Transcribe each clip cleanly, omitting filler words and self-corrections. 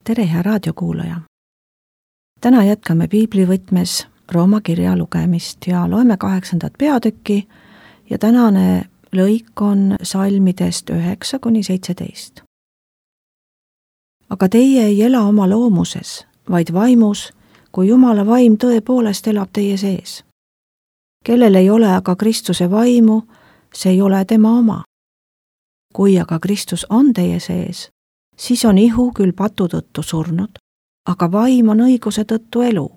tere, hea raadiokuulaja! Täna jätkame piiblivõtmes Rooma kirja lugemist ja loeme 8. peatükki ja tänane lõik on salmidest 9-17. Aga teie ei ela oma loomuses, vaid vaimus, kui Jumala vaim tõepoolest elab teie sees. Kellel ei ole aga Kristuse vaimu, see ei ole tema oma. Kui aga Kristus on teie sees, siis on ihu küll patu tõttu surnud, aga vaim on õiguse tõttu elu.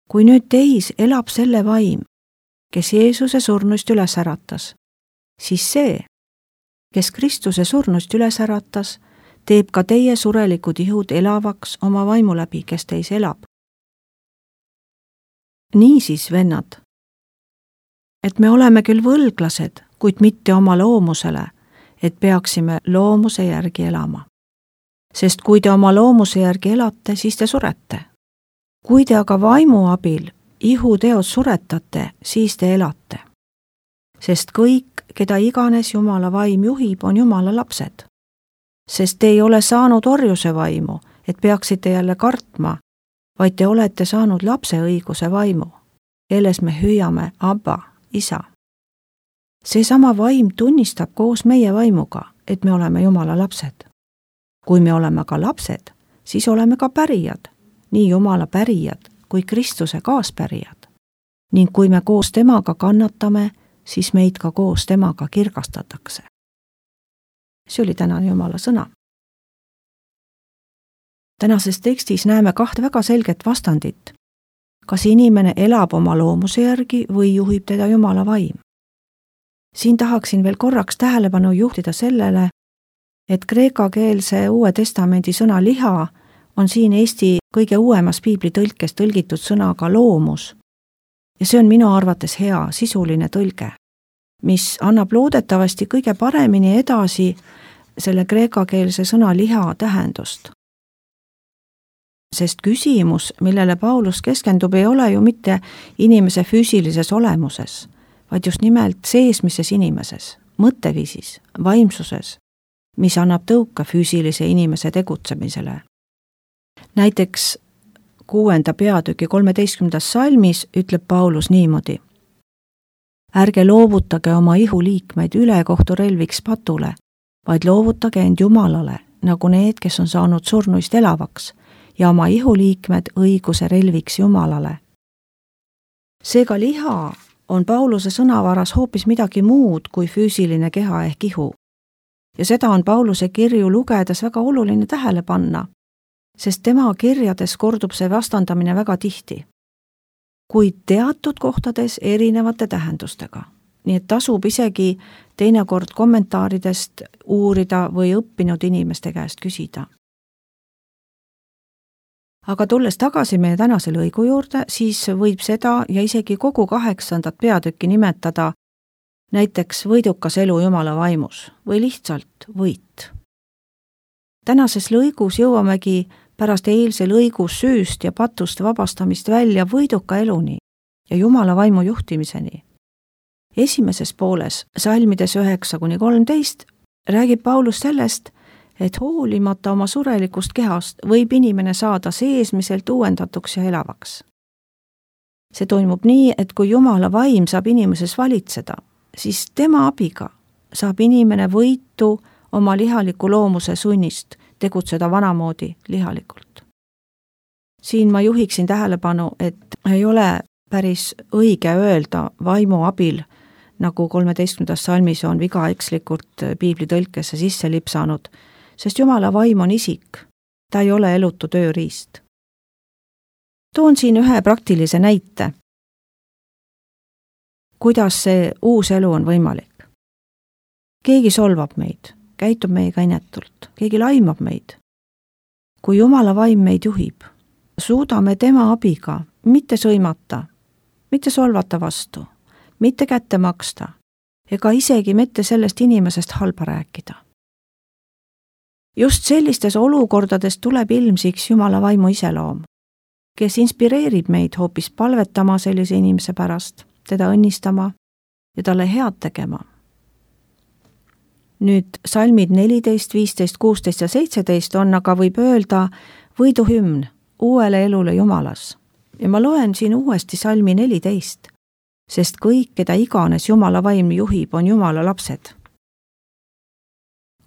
Kui nüüd teis elab selle vaim, kes Jeesuse surnuist üles äratas, siis see, kes Kristuse surnuist üles äratas, teeb ka teie surelikud ihud elavaks oma vaimu läbi, kes teis elab. Niisiis, vennad, et me oleme küll võlglased, kuid mitte oma loomusele, et peaksime loomuse järgi elama. Sest kui te oma loomuse järgi elate, siis te surete. Kui te aga vaimu abil ihuteod suretate, siis te elate. Sest kõik, keda iganes Jumala vaim juhib, on Jumala lapsed. Sest te ei ole saanud orjuse vaimu, et peaksite jälle kartma, vaid te olete saanud lapse õiguse vaimu, kelles me hüüame Abba, isa. Seesama vaim tunnistab koos meie vaimuga, et me oleme Jumala lapsed. Kui me oleme ka lapsed, siis oleme ka pärijad, nii Jumala pärijad kui Kristuse kaaspärijad. Ning kui me koos temaga kannatame, siis meid ka koos temaga kirgastatakse. See oli tänane Jumala sõna. Tänases tekstis näeme kahte väga selget vastandit. Kas inimene elab oma loomuse järgi või juhib teda Jumala vaim? Siin tahaksin veel korraks tähelepanu juhtida sellele, et kreekakeelse Uue Testamendi sõna liha on siin Eesti kõige uuemas piiblitõlkes tõlgitud sõnaga loomus. Ja see on minu arvates hea sisuline tõlge, mis annab loodetavasti kõige paremini edasi selle kreekakeelse sõna liha tähendust. Sest küsimus, millele Paulus keskendub, ei ole ju mitte inimese füüsilises olemuses, vaid just nimelt seesmises inimeses, mõtteviisis, vaimsuses, mis annab tõuka füüsilise inimese tegutsemisele. Näiteks 6. peatüki 13. salmis ütleb Paulus niimoodi. Ärge loovutage oma ihuliikmeid ülekohturelviks patule, vaid loovutage end Jumalale, nagu need, kes on saanud surnuist elavaks, ja oma ihuliikmed õiguse relviks Jumalale. Seega liha on Pauluse sõnavaras hoopis midagi muud kui füüsiline keha ehk ihu. Ja seda on Pauluse kirju lugedes väga oluline tähele panna, sest tema kirjades kordub see vastandamine väga tihti, kuid teatud kohtades erinevate tähendustega. Nii et tasub isegi teinekord kommentaaridest uurida või õppinud inimeste käest küsida. Aga tulles tagasi meie tänase lõigu juurde, siis võib seda ja isegi kogu 8. peatükki nimetada näiteks võidukas elu Jumala vaimus või lihtsalt võit. Tänases lõigus jõuamegi pärast eilse lõigu süüst ja patust vabastamist välja võiduka eluni ja Jumala vaimu juhtimiseni. Esimeses pooles, salmides 9-13, räägib Paulus sellest, et hoolimata oma surelikust kehast võib inimene saada seesmiselt uuendatuks ja elavaks. See toimub nii, et kui Jumala vaim saab inimeses valitseda, siis tema abiga saab inimene võitu oma lihaliku loomuse sunnist tegutseda vanamoodi lihalikult. Siin ma juhiksin tähelepanu, et ei ole päris õige öelda vaimu abil, nagu 13. salmis on vigaekslikult piiblitõlkesse sisse lipsanud, sest Jumala vaim on isik, ta ei ole elutu tööriist. Toon siin ühe praktilise näite, kuidas see uus elu on võimalik. Keegi solvab meid, käitub meiega inetult, keegi laimab meid. Kui Jumala vaim meid juhib, suudame tema abiga mitte sõimata, mitte solvata vastu, mitte kätte maksta ega isegi mitte sellest inimesest halba rääkida. Just sellistes olukordades tuleb ilmsiks Jumala vaimu iseloom, kes inspireerib meid hoopis palvetama sellise inimese pärast, teda õnnistama ja talle head tegema. Nüüd salmid 14, 15, 16 ja 17 on, aga võib öelda võiduhümn uuele elule Jumalas. Ja ma loen siin uuesti salmi 14, sest kõik, keda iganes Jumala vaim juhib, on Jumala lapsed.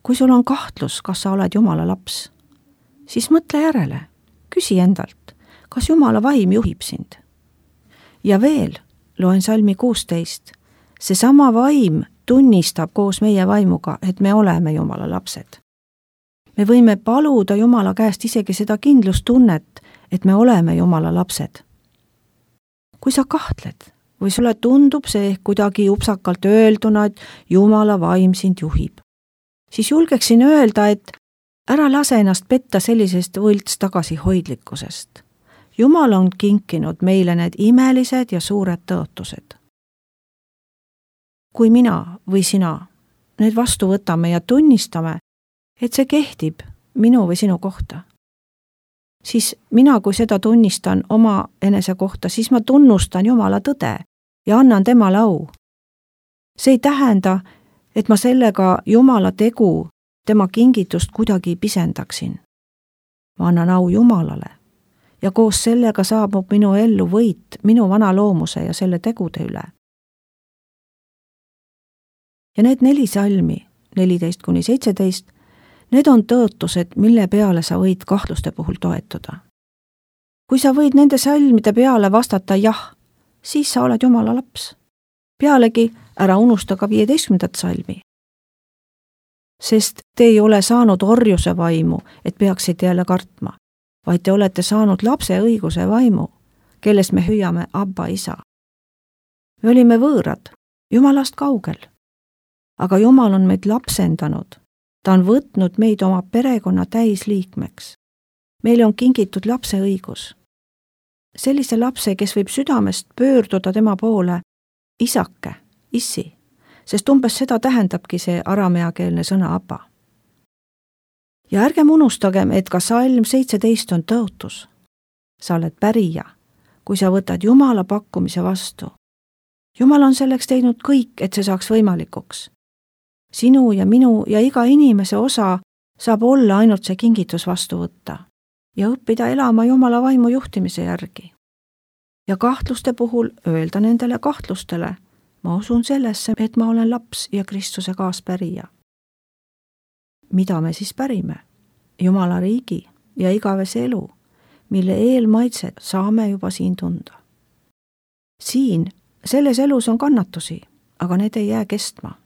Kui sul on kahtlus, kas sa oled Jumala laps, siis mõtle järele, küsi endalt, kas Jumala vaim juhib sind. Ja veel loen salmi 16, seesama vaim tunnistab koos meie vaimuga, et me oleme Jumala lapsed. Me võime paluda Jumala käest isegi seda kindlustunnet, et me oleme Jumala lapsed. Kui sa kahtled või sulle tundub see ehk kuidagi upsakalt öelduna, et Jumala vaim sind juhib, siis julgeksin öelda, et ära lase ennast petta sellisest võlts tagasihoidlikkusest. Jumal on kinkinud meile need imelised ja suured tõotused. Kui mina või sina need vastu võtame ja tunnistame, et see kehtib minu või sinu kohta, siis mina, kui seda tunnistan oma enese kohta, siis ma tunnustan Jumala tõde ja annan temale au. See ei tähenda, et ma sellega Jumala tegu, tema kingitust kuidagi pisendaksin. Ma annan au Jumalale ja koos sellega saabub minu ellu võit minu vana loomuse ja selle tegude üle. Ja need 4 salmi, 14-17, need on tõotused, mille peale sa võid kahtluste puhul toetuda. Kui sa võid nende salmide peale vastata jah, siis sa oled Jumala laps. Pealegi ära unusta ka 15. salmi. Sest te ei ole saanud orjuse vaimu, et peaksite jälle kartma, vaid te olete saanud lapse õiguse vaimu, kellest me hüüame Abba isa. Me olime võõrad, Jumalast kaugel, aga Jumal on meid lapsendanud. Ta on võtnud meid oma perekonna täisliikmeks. Meile on kingitud lapse õigus. Sellise lapse, kes võib südamest pöörduda tema poole isake, issi, sest umbes seda tähendabki see arameakeelne sõna Abba. Ja ärgem unustagem, et ka salm 17 on tõotus. Sa oled pärija, kui sa võtad Jumala pakkumise vastu. Jumal on selleks teinud kõik, et see saaks võimalikuks. Sinu ja minu ja iga inimese osa saab olla ainult see kingitus vastu võtta ja õppida elama Jumala vaimu juhtimise järgi. Ja kahtluste puhul öelda nendele kahtlustele, ma usun sellesse, et ma olen laps ja Kristuse kaaspärija. Mida me siis pärime? Jumala riigi ja igavese elu, mille eelmaitset saame juba siin tunda. Siin, selles elus on kannatusi, aga need ei jää kestma.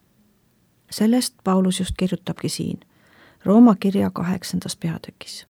Sellest Paulus just kirjutabki siin, Rooma kirja 8. peatükis.